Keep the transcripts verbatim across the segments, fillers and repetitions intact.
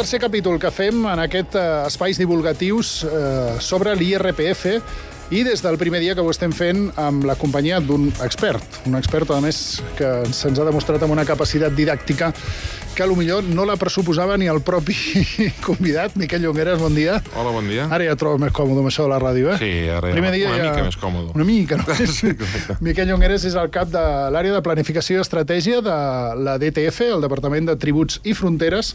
tercer capítol que fem en aquest eh, espais divulgatius eh, sobre l'I R P F i des del primer dia que ho estem fent amb la companyia d'un expert, un expert, a més, que se'ns ha demostrat amb una capacitat didàctica que potser no la pressuposava ni el propi convidat. Miquel Llongueras, bon dia. Hola, bon dia. Ara ja et trobes més còmode amb això de la ràdio, eh? Sí, ara Primer dia una ja... mica més còmode. Una mica, no? Sí, correcte. Miquel Llongueras és el cap de l'àrea de planificació i estratègia de la D T F, el Departament de Tributs i Fronteres,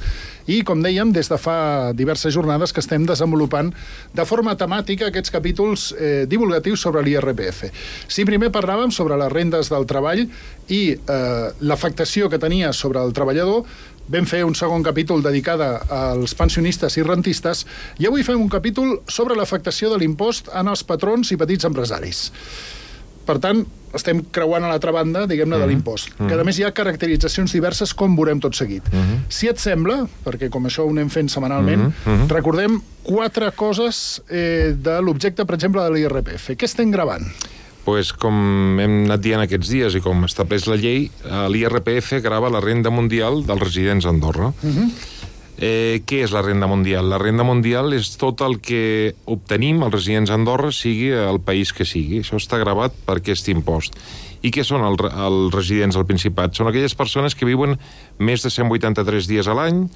i, com dèiem, des de fa diverses jornades que estem desenvolupant de forma temàtica aquests capítols eh, divulgatius sobre l'I R P F. Si primer parlàvem sobre les rendes del treball i eh, l'afectació que tenia sobre el treballador, vam fer un segon capítol dedicat als pensionistes i rentistes i avui fem un capítol sobre l'afectació de l'impost en els patrons i petits empresaris. Per tant, estem creuant a l'altra banda, diguem-ne, mm-hmm. de l'impost. Mm-hmm. Que, a més, hi ha caracteritzacions diverses, com veurem tot seguit. Mm-hmm. Si et sembla, perquè com això ho anem fent setmanalment, mm-hmm. recordem quatre coses eh, de l'objecte, per exemple, de l'I R P F. Què estem gravant? Pues, com hem anat dient aquests dies i com estableix la llei, l'I R P F grava la renda mundial dels residents a Andorra. Uh-huh. eh, què és la renda mundial? La renda mundial és tot el que obtenim els residents a Andorra, sigui el país que sigui. Això està gravat per aquest impost. I què són el, els residents al Principat? Són aquelles persones que viuen més de cent vuitanta-tres dies a l'any,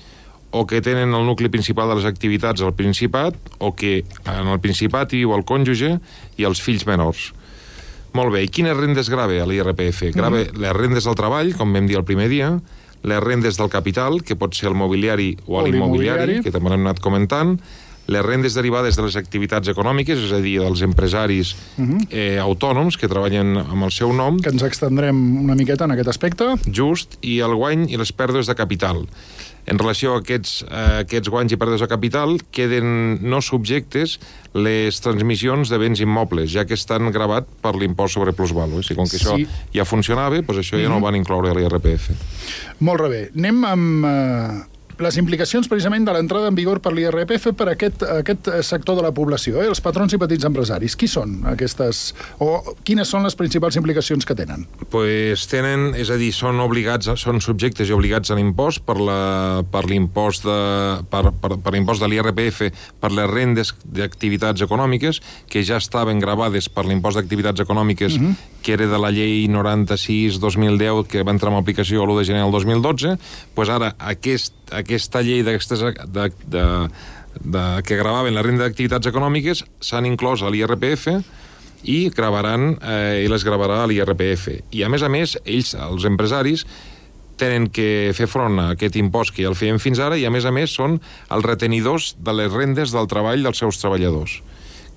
o que tenen el nucli principal de les activitats al Principat, o que en el Principat hi viu el cònjuge i els fills menors. Molt bé, i quines rendes grava a l'I R P F? Grava mm-hmm. les rendes del treball, com vam dir el primer dia, les rendes del capital, que pot ser el mobiliari o, o l'immobiliari, que també l'hem anat comentant, les rendes derivades de les activitats econòmiques, és a dir, dels empresaris mm-hmm. eh, autònoms que treballen amb el seu nom. Que ens extendrem una miqueta en aquest aspecte. Just, i el guany i les pèrdues de capital. En relació a aquests, a aquests guanys i pèrdues de capital, queden no subjectes les transmissions de béns immobles, ja que estan gravat per l'impost sobre plusvàlua. Si com que això sí. ja funcionava, doncs això ja mm-hmm. no ho van incloure a l'I R P F. Molt bé. Anem amb eh, les implicacions precisament de l'entrada en vigor per l'I R P F per a aquest, aquest sector de la població, eh? Els patrons i petits empresaris. Qui són aquestes, o quines són les principals implicacions que tenen? Pues tenen, és a dir, són obligats, són subjectes i obligats a l'impost per la, per l'impost de, per, per, per l'impost de l'I R P F per les rendes d'activitats econòmiques que ja estaven gravades per l'impost d'activitats econòmiques mm-hmm. que era de la llei noranta-sis dos mil deu que va entrar en aplicació l'u de gener del dos mil dotze. Pues ara aquest aquesta llei d'aquestes de, de, de, que gravaven la renda d'activitats econòmiques s'han inclòs a l'I R P F i gravaran, eh, i les gravarà a l'I R P F. I a més a més, ells, els empresaris, tenen que fer front a aquest impost que ja el feien fins ara i a més a més són els retenidors de les rendes del treball dels seus treballadors,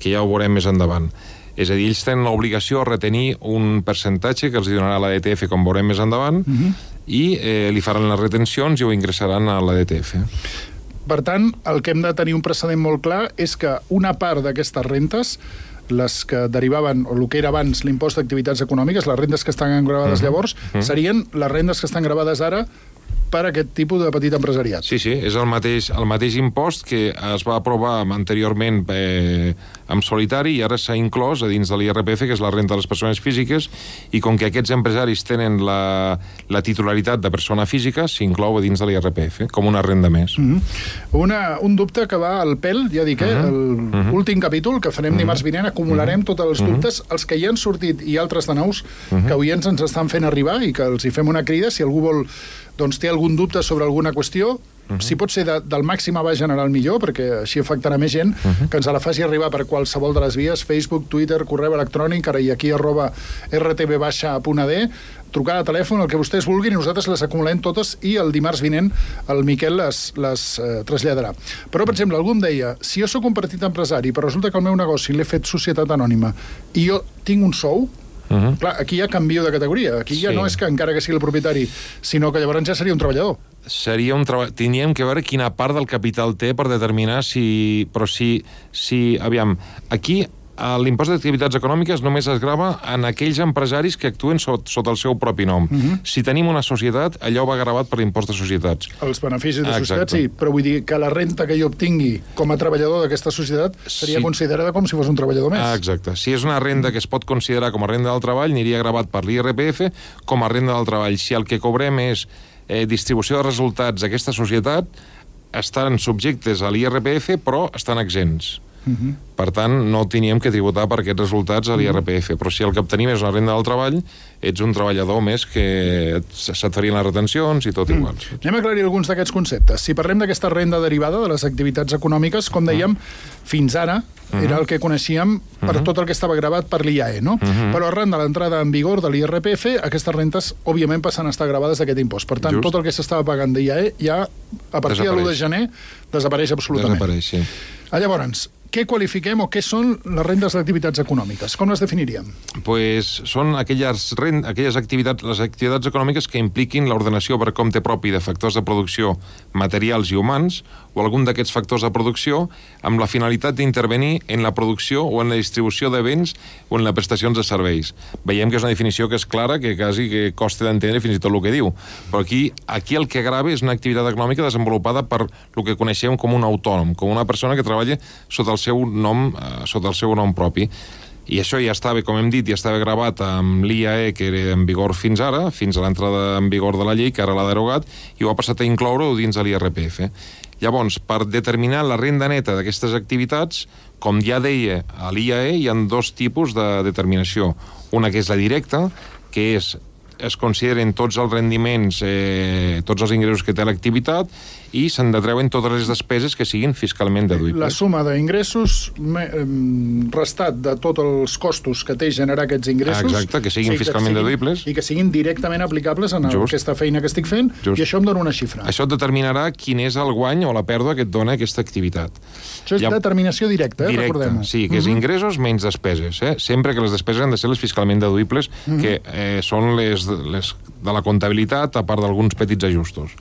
que ja ho veurem més endavant. És a dir, ells tenen l'obligació de retenir un percentatge que els donarà la D T F, com veurem més endavant, mm-hmm. i eh, li faran les retencions i ho ingressaran a la D T F. Per tant, el que hem de tenir un precedent molt clar és que una part d'aquestes rentes, les que derivaven, o el que era abans l'impost d'activitats econòmiques, les rendes que estan gravades uh-huh. llavors, uh-huh. serien les rendes que estan gravades ara per a aquest tipus de petit empresariat. Sí, sí, és el mateix, el mateix impost que es va aprovar anteriorment eh, en solitari i ara s'ha inclòs a dins de l'I R P F, que és la renda de les persones físiques, i com que aquests empresaris tenen la, la titularitat de persona física, s'inclou a dins de l'I R P F, com una renda més. Mm-hmm. una, un dubte que va al pèl, ja dic, eh, mm-hmm. l'últim mm-hmm. capítol, que farem mm-hmm. dimarts vinent, acumularem mm-hmm. tots els dubtes, mm-hmm. els que hi han sortit i altres de nous, mm-hmm. que oients ens estan fent arribar i que els hi fem una crida, si algú vol doncs té algun dubte sobre alguna qüestió, uh-huh. si pot ser de, del màxim abast general millor, perquè així afectarà més gent, uh-huh. que ens la faci arribar per qualsevol de les vies, Facebook, Twitter, correu electrònic, ara i aquí arroba r t v baixa punt a d, trucada a telèfon, el que vostès vulguin, i nosaltres les acumulem totes i el dimarts vinent el Miquel les, les eh, traslladarà. Però, per exemple, algú em deia, si jo sóc un petit empresari, però resulta que el meu negoci l'he fet societat anònima i jo tinc un sou, Uh-huh. clar, aquí ja canvio de categoria. Aquí ja sí. no és que encara que sigui el propietari, sinó que llavors ja seria un treballador. Seria un treball... Tindríem que veure quina part del capital té per determinar si... Però si... si aviam, aquí l'impost d'activitats econòmiques només es grava en aquells empresaris que actuen sota, sota el seu propi nom. Uh-huh. Si tenim una societat, allò va gravat per l'impost de societats. Els beneficis de ah, societat, sí, però vull dir que la renta que jo obtingui com a treballador d'aquesta societat seria sí. considerada com si fos un treballador més. Ah, exacte. Si és una renda que es pot considerar com a renda del treball, aniria gravat per l'I R P F com a renda del treball. Si el que cobrem és eh, distribució de resultats d'aquesta societat, estan subjectes a l'I R P F, però estan exempts. Uh-huh. Per tant, no teníem que tributar per aquests resultats a l'I R P F. Però si el que obtenim és una renda del treball, ets un treballador més que se't farien les retencions i tot igual. Mm. Anem a aclarir alguns d'aquests conceptes. Si parlem d'aquesta renda derivada de les activitats econòmiques, com dèiem, mm. fins ara mm. era el que coneixíem per mm. tot el que estava gravat per l'I A E, no? Mm. Però arran de l'entrada en vigor de l'I R P F, aquestes rentes, òbviament, passen a estar gravades d'aquest impost. Per tant, Just. tot el que s'estava pagant d'I A E ja, a partir de l'u de gener, desapareix absolutament. Desapareix, sí. Ah, llavors, què qualifiquem o què són les rendes d'activitats econòmiques? Com les definiríem? Pues són aquelles, rend, aquelles activitats, les activitats econòmiques que impliquin l'ordenació per compte propi de factors de producció materials i humans o algun d'aquests factors de producció amb la finalitat d'intervenir en la producció o en la distribució de béns o en les prestacions de serveis. Veiem que és una definició que és clara, que quasi que costa d'entendre fins i tot el que diu. Però aquí, aquí el que grava és una activitat econòmica desenvolupada per el que coneixem com un autònom, com una persona que treballa sota el seu nom, eh, sota el seu nom propi. I això ja estava, com hem dit, ja estava gravat amb l'I A E, que era en vigor fins ara, fins a l'entrada en vigor de la llei, que ara l'ha derogat, i ho ha passat a incloure-ho dins de l'I R P F. Llavors, per determinar la renda neta d'aquestes activitats, com ja deia a l'I A E, hi ha dos tipus de determinació. Una que és la directa, que és es consideren tots els rendiments, eh, tots els ingressos que té l'activitat i se'n detreuen totes les despeses que siguin fiscalment deduïbles. La suma d'ingressos restat de tots els costos que té generar aquests ingressos. Exacte, que siguin sí, fiscalment que siguin, deduïbles. I que siguin directament aplicables en el, aquesta feina que estic fent. Just. I això em dona una xifra. Això et determinarà quin és el guany o la pèrdua que et dona aquesta activitat. Això és ha... determinació directa, eh? Directa, recordem-ho. Sí, que és uh-huh. ingressos menys despeses. Eh? Sempre que les despeses han de ser les fiscalment deduïbles, uh-huh. que eh, són les Les, de la comptabilitat, a part d'alguns petits ajustos.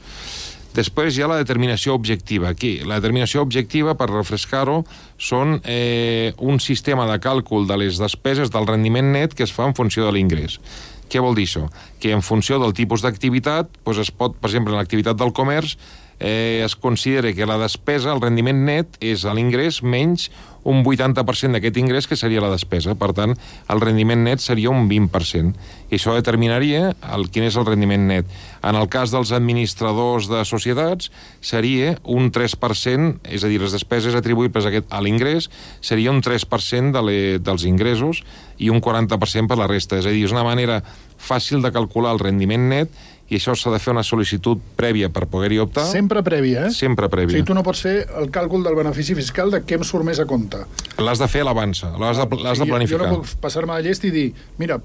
Després hi ha la determinació objectiva. Aquí, la determinació objectiva, per refrescar-ho, són eh, un sistema de càlcul de les despeses del rendiment net que es fa en funció de l'ingrés. Què vol dir això? Que en funció del tipus d'activitat, doncs es pot, per exemple, en l'activitat del comerç, eh, es considera que la despesa, el rendiment net, és l'ingrés menys un vuitanta per cent d'aquest ingrés, que seria la despesa. Per tant, el rendiment net seria un vint per cent. I això determinaria el, quin és el rendiment net. En el cas dels administradors de societats, seria un tres per cent, és a dir, les despeses atribuïbles a, aquest, a l'ingrés, seria un tres per cent de le, dels ingressos i un quaranta per cent per la resta. És a dir, és una manera fàcil de calcular el rendiment net, i això s'ha de fer una sol·licitud prèvia per poder-hi optar. Sempre prèvia, eh? Sempre prèvia. O sigui, tu no pots fer el càlcul del benefici fiscal de què em surt més a compte. L'has de fer a l'avança, l'has de, l'has de planificar. Jo no puc passar-me de llest i dir, mira,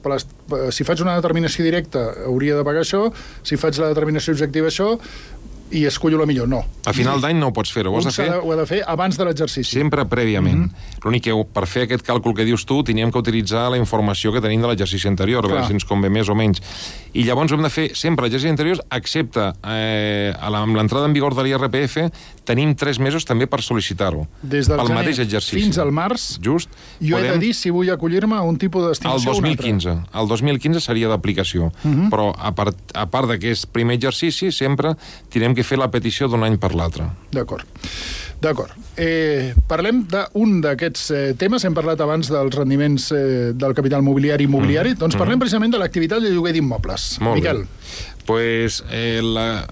si faig una determinació directa hauria de pagar això, si faig la determinació objectiva això, i escollo la millor. No. A final d'any no ho pots fer-ho. Ho, de fer... ho ha de fer abans de l'exercici. Sempre prèviament. Mm-hmm. L'únic que per fer aquest càlcul que dius tu teníem que utilitzar la informació que tenim de l'exercici anterior, a veure si ens convé més o menys. I llavors hem de fer sempre l'exercici anterior, excepte eh, amb l'entrada en vigor de l'I R P F, tenim tres mesos també per sol·licitar-ho. Des del pel gener mateix exercici. Fins al març, just, jo podem... he de dir si vull acollir-me a un tipus de destinació o un altre. El dos mil quinze. El dos mil quinze seria d'aplicació. Mm-hmm. Però a part, a part d'aquest primer exercici, sempre tindrem que fer la petició d'un any per l'altre. D'acord. D'acord. Eh, parlem d'un d'aquests eh, temes. Hem parlat abans dels rendiments eh, del capital mobiliari i immobiliari. Mm. Doncs parlem mm. precisament de l'activitat de lloguer d'immobles. Miquel. Pues, eh, la,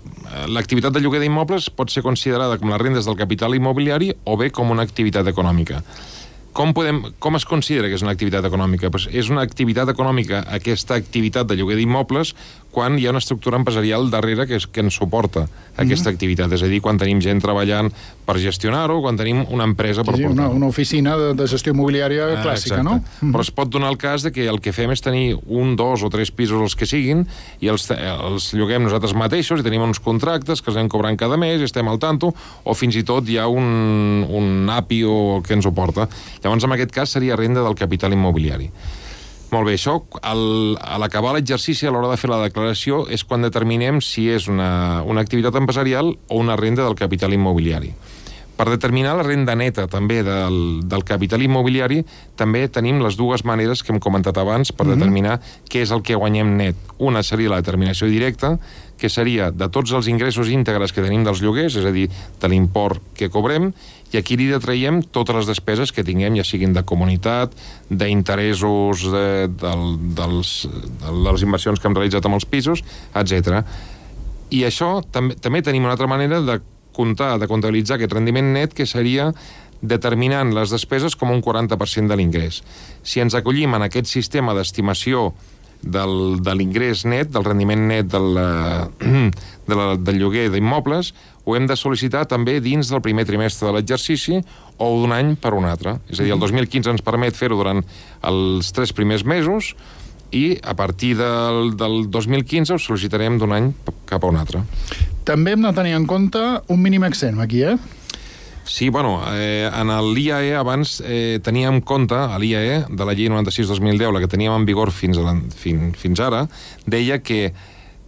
l'activitat de lloguer d'immobles pot ser considerada com les rendes del capital immobiliari o bé com una activitat econòmica. Com, podem, com es considera que és una activitat econòmica? Pues és una activitat econòmica, aquesta activitat de lloguer d'immobles, quan hi ha una estructura empresarial darrere que, és, que ens suporta aquesta mm-hmm. activitat. És a dir, quan tenim gent treballant per gestionar-ho, quan tenim una empresa per sí, portar-ho. Una, una oficina de, de gestió immobiliària ah, clàssica, exacte. No? Mm-hmm. Però es pot donar el cas de que el que fem és tenir un, dos o tres pisos els que siguin i els, els lloguem nosaltres mateixos i tenim uns contractes que els anem cobrant cada mes i estem al tanto, o fins i tot hi ha un, un A P I o que ens ho porta. Llavors, en aquest cas, seria renda del capital immobiliari. Molt bé, això, al, a l'acabar l'exercici, a l'hora de fer la declaració, és quan determinem si és una, una activitat empresarial o una renda del capital immobiliari. Per determinar la renda neta també del, del capital immobiliari, també tenim les dues maneres que hem comentat abans per mm-hmm. determinar què és el que guanyem net. Una seria la determinació directa, que seria de tots els ingressos íntegres que tenim dels lloguers, és a dir, de l'import que cobrem, i aquí li detraiem totes les despeses que tinguem, ja siguin de comunitat, d'interessos de, del, dels, de les inversions que hem realitzat amb els pisos, etcètera. I això també, també tenim una altra manera de descomptar, de comptabilitzar aquest rendiment net, que seria determinant les despeses com un quaranta per cent de l'ingrés. Si ens acollim en aquest sistema d'estimació del, de l'ingrés net, del rendiment net del, de la, del lloguer d'immobles, ho hem de sol·licitar també dins del primer trimestre de l'exercici o d'un any per un altre. És a dir, el dos mil quinze ens permet fer-ho durant els tres primers mesos i a partir del, del dos mil quinze ho sol·licitarem d'un any cap a un altre. També hem de tenir en compte un mínim exempt aquí, eh? Sí, bueno, eh, en l'I A E abans eh, teníem en compte, a l'I A E de la llei noranta-sis dos mil deu, la que teníem en vigor fins, a la, fins, fins ara, deia que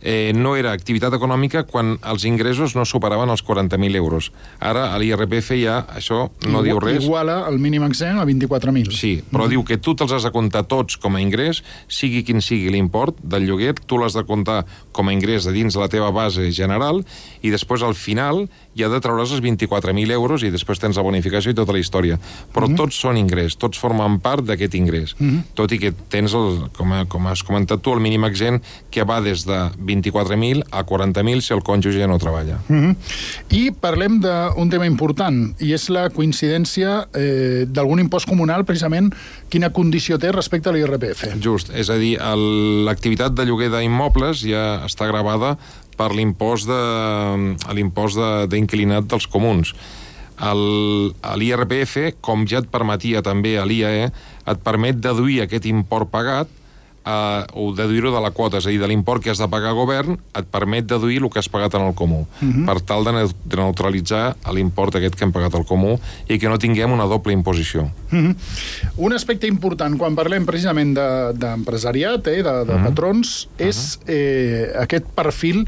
eh, no era activitat econòmica quan els ingressos no superaven els quaranta mil euros. Ara, a l'I R P F ja això no Igu diu res. Iguala el mínim exempt a vint-i-quatre mil. Sí, però mm. diu que tu te'ls has de comptar tots com a ingrés, sigui quin sigui l'import del lloguer, tu l'has de comptar com a ingrés de dins de la teva base general i després al final ja de treure's els vint-i-quatre mil euros i després tens la bonificació i tota la història. Però mm -hmm. tots són ingrés, tots formen part d'aquest ingrés. Mm -hmm. Tot i que tens, el, com, a, com has comentat tu, el mínim exempt que va des de vint-i-quatre mil a quaranta mil si el cònjuge ja no treballa. Mm -hmm. I parlem d'un tema important, i és la coincidència eh, d'algun impost comunal, precisament, quina condició té respecte a l'I R P F. Just, és a dir, l'activitat de lloguer d'immobles ja està gravada per l'impost de, l'impost d'inquilinat dels comuns. L'I R P F, com ja et permetia també a l'I A E, et permet deduir aquest import pagat Uh, o deduir-ho de la quota, és a dir, de l'import que has de pagar al govern, et permet deduir el que has pagat en el comú, uh -huh. per tal de, de neutralitzar l'import aquest que hem pagat al comú i que no tinguem una doble imposició. Uh -huh. Un aspecte important quan parlem precisament d'empresariat, de, eh, de, de uh -huh. patrons, uh -huh. és eh, aquest perfil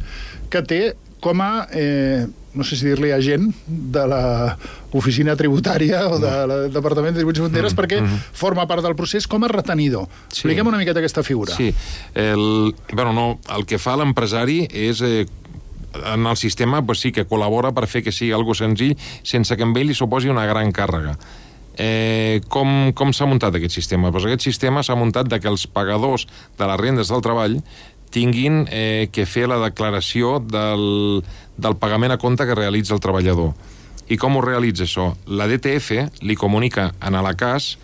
que té com a, eh, no sé si dir-li agent de la oficina tributària o del Departament de Tributs i Fronteres, mm, perquè mm. forma part del procés com a retenidor. Sí. Expliquem una miqueta aquesta figura. Sí. El, bueno, no, el que fa l'empresari és... Eh, en el sistema pues, sí que col·labora per fer que sigui algo senzill sense que amb ell li suposi una gran càrrega. Eh, com com s'ha muntat aquest sistema? Pues aquest sistema s'ha muntat de que els pagadors de les rendes del treball tinguin eh, que fer la declaració del, del pagament a compte que realitza el treballador. I com ho realitza això? La D T F li comunica en la C A S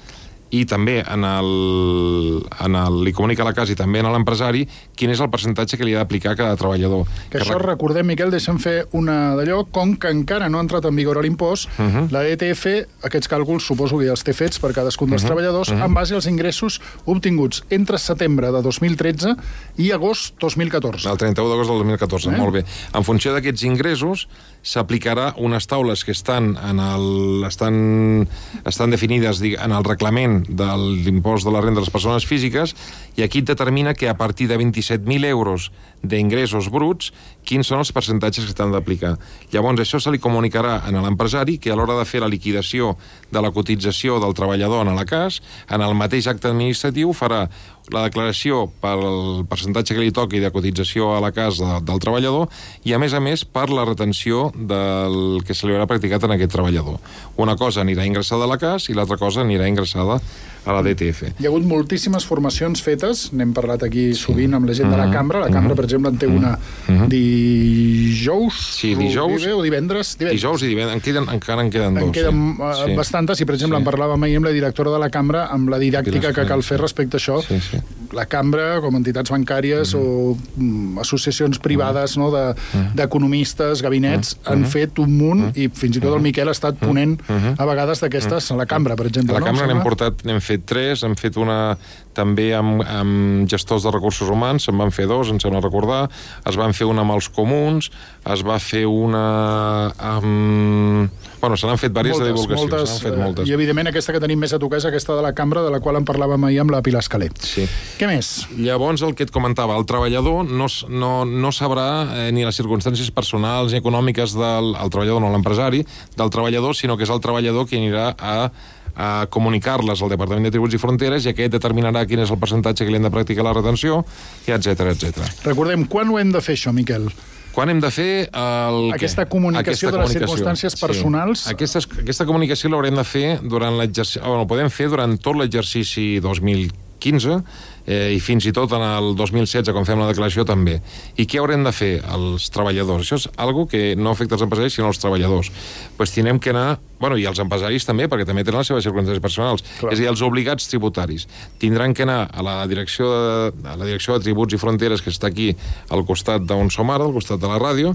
i també en el, en el, li comunica a la C A S i també a l'empresari quin és el percentatge que li ha d'aplicar a cada treballador. Que, que això, rec... recordem, Miquel, deixem fer una d'allò, com que encara no ha entrat en vigor l'impost, uh -huh. la D T F, aquests càlculs suposo que ja els té fets per cadascun dels uh -huh. treballadors, uh -huh. en base als ingressos obtinguts entre setembre de dos mil tretze i agost dos mil catorze. El trenta-u d'agost del dos mil catorze, eh? Molt bé. En funció d'aquests ingressos, s'aplicarà unes taules que estan, en el, estan, estan definides en el reglament de l'impost de la renda de les persones físiques, i aquí et determina que a partir de vint-i-set mil euros d'ingressos bruts, quins són els percentatges que s'han d'aplicar. Llavors, això se li comunicarà a l'empresari, que a l'hora de fer la liquidació de la cotització del treballador en la C A S, en el mateix acte administratiu farà la declaració pel percentatge que li toqui de cotització a la C A S de, del treballador i, a més a més, per la retenció del que se li haurà practicat en aquest treballador. Una cosa anirà ingressada a la C A S i l'altra cosa anirà ingressada a la D T F. Hi ha hagut moltíssimes formacions fetes, n'hem parlat aquí sí. sovint amb la gent uh -huh. de la cambra, la cambra, uh -huh. per exemple, en té una uh -huh. dijous, sí, dijous o divendres, divendres. Dijous i divendres, en queden, encara en queden dos. En queden sí. bastantes, i per exemple sí. en parlàvem ahir amb la directora de la cambra, amb la didàctica que cal fer respecte a això. Sí, sí. La cambra, com entitats bancàries uh -huh. o um, associacions privades uh -huh. no, d'economistes, de, gabinets, uh -huh. han fet un munt, uh -huh. i fins i tot el Miquel ha estat ponent uh -huh. a vegades d'aquestes uh -huh. a la cambra, per exemple. A la cambra no? n'hem portat, n'hem fet tres, hem fet una també amb, amb gestors de recursos humans, se'n van fer dos, ens sembla recordar, es van fer una amb els comuns, es va fer una amb... Bueno, se n'han fet diverses de divulgació. Moltes, se n'han fet moltes. I, evidentment, aquesta que tenim més a tocar és aquesta de la cambra, de la qual en parlàvem ahir amb la Pilar Escaler. Sí. Què més? Llavors, el que et comentava, el treballador no, no, no sabrà eh, ni les circumstàncies personals ni econòmiques del el treballador, no l'empresari, del treballador, sinó que és el treballador qui anirà a a comunicar-les al Departament de Tributs i Fronteres, i aquest determinarà quin és el percentatge que li hem de practicar la retenció, i etcètera, etcètera. Recordem, quan ho hem de fer, això, Miquel? Quan hem de fer el... Aquesta comunicació aquesta de les comunicació. circumstàncies personals... Sí. Aquesta, aquesta comunicació l'haurem de fer durant l'exercici... Bueno, podem fer durant tot l'exercici dos mil quinze, eh, i fins i tot en el dos mil setze, quan fem la declaració, també. I què haurem de fer els treballadors? Això és algo que no afecta els empresaris, sinó els treballadors. Pues tindrem que anar... Bueno, i els empresaris també, perquè també tenen les seves circumstàncies personals. Clar. És a dir, els obligats tributaris. Tindran que anar a la direcció de, a la direcció de Tributs i Fronteres, que està aquí al costat d'on som ara, al costat de la ràdio,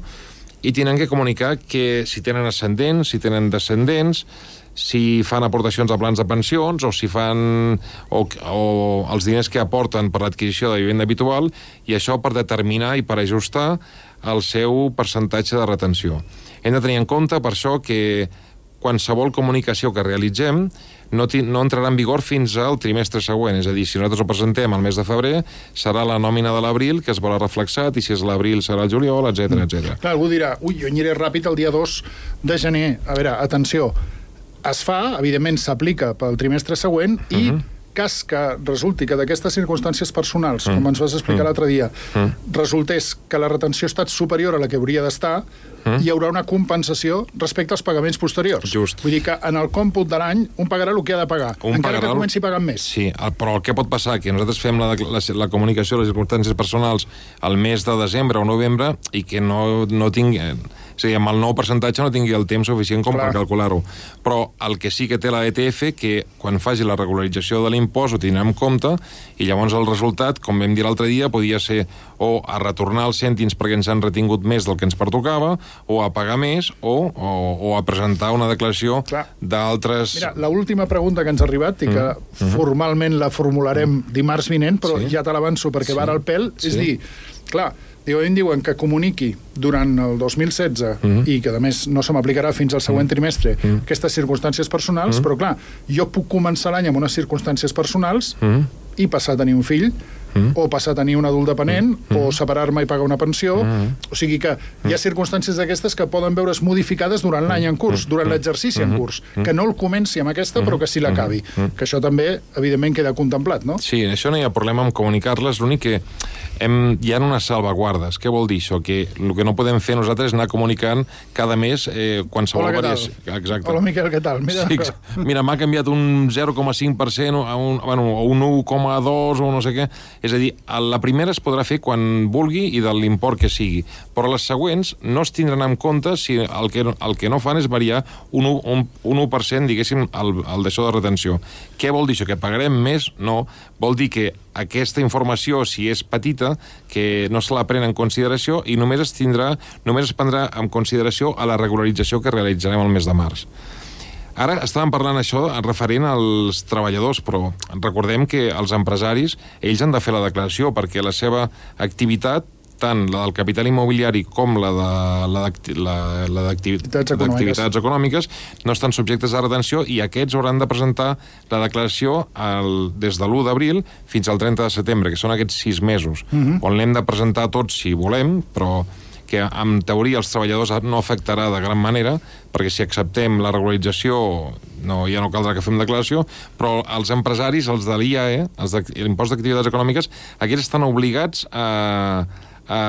i tenen que comunicar que si tenen ascendents, si tenen descendents, si fan aportacions a plans de pensions o si fan o, o els diners que aporten per l'adquisició de vivenda habitual, i això per determinar i per ajustar el seu percentatge de retenció. Hem de tenir en compte, per això, que qualsevol comunicació que realitzem no, no entrarà en vigor fins al trimestre següent. És a dir, si nosaltres ho presentem al mes de febrer, serà la nòmina de l'abril que es veurà reflexat, i si és l'abril serà el juliol, etcètera, etcètera. Clar, algú dirà, ui, jo aniré ràpid el dia dos de gener. A veure, atenció, es fa, evidentment s'aplica pel trimestre següent, i uh -huh. cas que resulti que d'aquestes circumstàncies personals, mm. com ens vas explicar mm. l'altre dia, mm. resultés que la retenció ha estat superior a la que hauria d'estar, mm. hi haurà una compensació respecte als pagaments posteriors. Just. Vull dir que en el còmput de l'any un pagarà el que ha de pagar, un encara pagarà... que comenci pagant més. Sí, però el que pot passar que nosaltres fem la, la, la comunicació de les circumstàncies personals al mes de desembre o novembre i que no, no tingui... És a dir, amb el nou percentatge no tingui el temps suficient com Clar. per calcular-ho. Però el que sí que té la D T F, que quan faci la regularització de l'impost ho tindrà en compte, i llavors el resultat, com vam dir l'altre dia, podia ser o a retornar els cèntims perquè ens han retingut més del que ens pertocava, o a pagar més, o, o, o a presentar una declaració d'altres... Mira, l'última pregunta que ens ha arribat, i que mm. formalment la formularem dimarts vinent, però sí. ja te l'avanço perquè sí. va ara al pèl, sí. és dir, clar, Diu, em diuen que comuniqui durant el dos mil setze mm-hmm. i que, a més, no se m'aplicarà fins al següent trimestre mm-hmm. aquestes circumstàncies personals, mm-hmm. però, clar, jo puc començar l'any amb unes circumstàncies personals mm-hmm. i passar a tenir un fill, mm-hmm. o passar a tenir un adult dependent, mm-hmm. o separar-me i pagar una pensió. Mm-hmm. O sigui que hi ha circumstàncies d'aquestes que poden veure's modificades durant l'any en curs, durant l'exercici en curs, que no el comenci amb aquesta, però que sí l'acabi. Que això també, evidentment, queda contemplat, no? Sí, això no hi ha problema en comunicar-les, l'únic que hem, hi ha unes salvaguardes. Què vol dir això? Que el que no podem fer nosaltres és anar comunicant cada mes eh, qualsevol Hola, variació. Exacte. Hola, Miquel, què tal? Mira, sí, mira m'ha canviat un zero coma cinc per cent a un, bueno, o un u coma dos o no sé què. És a dir, la primera es podrà fer quan vulgui i de l'import que sigui, però les següents no es tindran en compte si el que, el que no fan és variar un, un, un u per cent, diguéssim, el, el d'això de retenció. Què vol dir això? Que pagarem més? No. Vol dir que aquesta informació, si és petita, que no se la pren en consideració i només es tindrà, només es prendrà en consideració a la regularització que realitzarem el mes de març. Ara estàvem parlant això referent als treballadors, però recordem que els empresaris, ells han de fer la declaració perquè la seva activitat, tant la del capital immobiliari com la d'activitats econòmiques. econòmiques, no estan subjectes a retenció i aquests hauran de presentar la declaració el, des de l'u d'abril fins al trenta de setembre, que són aquests sis mesos, uh-huh. on l'hem de presentar tots si volem, però que en teoria els treballadors no afectarà de gran manera, perquè si acceptem la regularització no, ja no caldrà que fem declaració, però els empresaris, els de l'I A E, els de l'impost d'activitats econòmiques, aquests estan obligats a, a,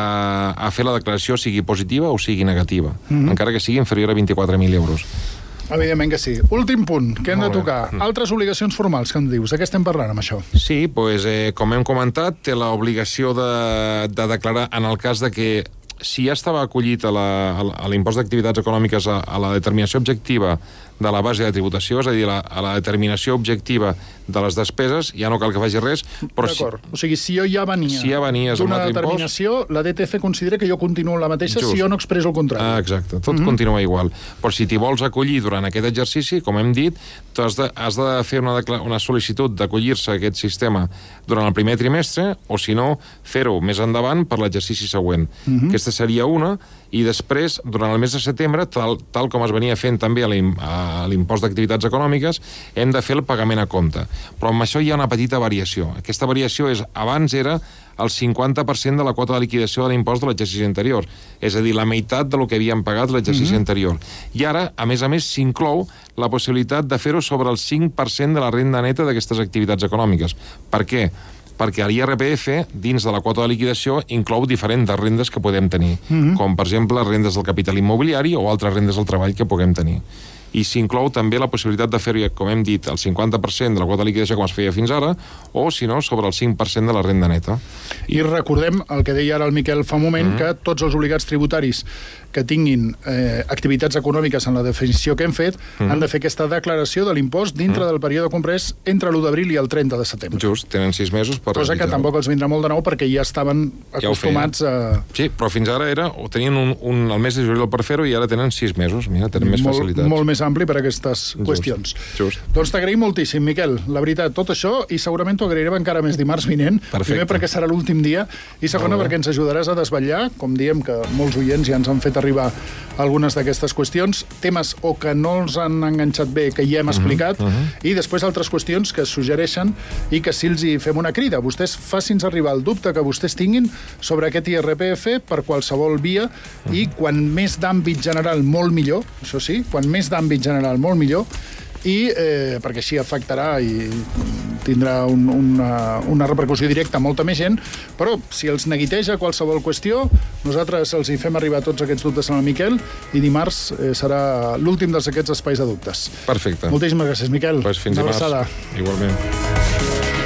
a fer la declaració sigui positiva o sigui negativa, mm-hmm. encara que sigui inferior a vint-i-quatre mil euros. Evidentment que sí. Últim punt que hem de tocar. Mm. Altres obligacions formals, que em dius? De què estem parlant amb això? Sí, doncs, eh, com hem comentat, té l'obligació de, de declarar en el cas de que si ja estava acollit a l'impost d'activitats econòmiques a, a la determinació objectiva de la base de tributació, és a dir, la, a la determinació objectiva de les despeses, ja no cal que faci res, però... D'acord. Si, o sigui, si jo ja venia si ja d'una determinació, impost, la D T F considera que jo continuo la mateixa Just. si jo no expresso el contrari. Ah, exacte, tot mm-hmm. continua igual. Però si t'hi vols acollir durant aquest exercici, com hem dit, tu has de, has de fer una, una sol·licitud d'acollir-se a aquest sistema durant el primer trimestre, o si no, fer-ho més endavant per l'exercici següent. Mm-hmm. Aquesta seria una, i després, durant el mes de setembre, tal, tal com es venia fent també a l'impost d'activitats econòmiques, hem de fer el pagament a compte. Però amb això hi ha una petita variació. Aquesta variació és, abans era el cinquanta per cent de la quota de liquidació de l'impost de l'exercici anterior, és a dir, la meitat del que havíem pagat l'exercici mm-hmm. anterior. I ara, a més a més, s'inclou la possibilitat de fer-ho sobre el cinc per cent de la renda neta d'aquestes activitats econòmiques. Per què? Perquè l'I R P F, dins de la quota de liquidació, inclou diferents rendes que podem tenir, mm-hmm. com, per exemple, rendes del capital immobiliari o altres rendes del treball que puguem tenir. i s'inclou també la possibilitat de fer-ho, com hem dit, el cinquanta per cent de la quota de liquidació com es feia fins ara, o, si no, sobre el cinc per cent de la renda neta. I recordem el que deia ara el Miquel fa un moment, mm. que tots els obligats tributaris que tinguin eh, activitats econòmiques en la definició que hem fet, mm. han de fer aquesta declaració de l'impost dintre mm. del període comprès entre l'u d'abril i el trenta de setembre. Just, tenen sis mesos per... Cosa que tampoc els vindrà molt de nou perquè ja estaven acostumats ja a... Sí, però fins ara era, o tenien un, un, el mes de juliol per fer-ho i ara tenen sis mesos. Mira, tenen més molt, facilitats. Molt més ampli per a aquestes just, qüestions. Just. Doncs t'agraïm moltíssim, Miquel. La veritat, tot això, i segurament t'ho agrairem encara més dimarts vinent. Perfecte. Primer perquè serà l'últim dia, i segona perquè ens ajudaràs a desvetllar, com diem que molts oients ja ens han fet arribar algunes d'aquestes qüestions, temes o que no els han enganxat bé, que ja hem explicat, uh -huh, uh -huh. i després altres qüestions que es suggereixen i que si els hi fem una crida, vostès facin-nos arribar el dubte que vostès tinguin sobre aquest I R P F per qualsevol via, uh -huh. i quan més d'àmbit general, molt millor, això sí, quan més d'àmbit general, molt millor, i eh, perquè així afectarà i tindrà un, una, una repercussió directa a molta més gent, però si els neguiteja qualsevol qüestió, nosaltres els hi fem arribar tots aquests dubtes al Miquel i dimarts eh, serà l'últim d'aquests espais de dubtes. Perfecte. Moltíssimes gràcies, Miquel. Pues fins dimarts. Una abraçada. Igualment.